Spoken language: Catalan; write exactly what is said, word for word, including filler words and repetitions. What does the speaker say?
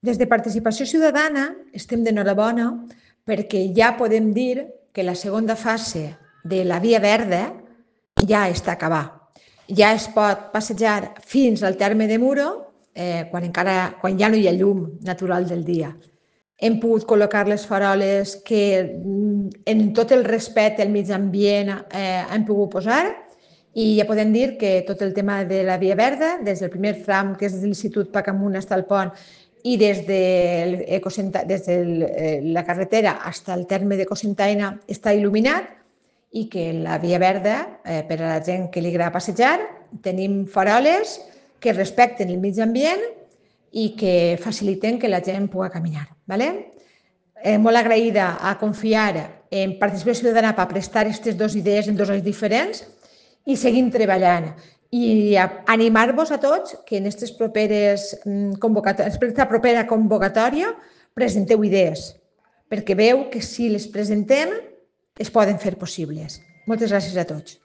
Des de Participació Ciutadana estem d'enhorabona perquè ja podem dir que la segona fase de la Via Verda ja està acabada. Ja es pot passejar fins al terme de Muro eh, quan, encara, quan ja no hi ha llum natural del dia. Hem pogut col·locar les faroles que en tot el respecte al mig ambient eh, hem pogut posar i ja podem dir que tot el tema de la Via Verda, des del primer tram, que és de l'Institut Pacamunt fins al pont, i des de, des de la carretera fins al terme d'Ecocentaina està il·luminat i que la Via Verda, eh, per a la gent que li agrada passejar, tenim faroles que respecten el mig ambient i que faciliten que la gent pugui caminar. ¿vale? Eh, molt agraïda a confiar en Participació Ciutadana per prestar aquestes dues idees en dos anys diferents i seguim treballant. I animar-vos a tots que en aquestes properes convocatòries, aquesta propera convocatòria presenteu idees, perquè veu que si les presentem es poden fer possibles. Moltes gràcies a tots.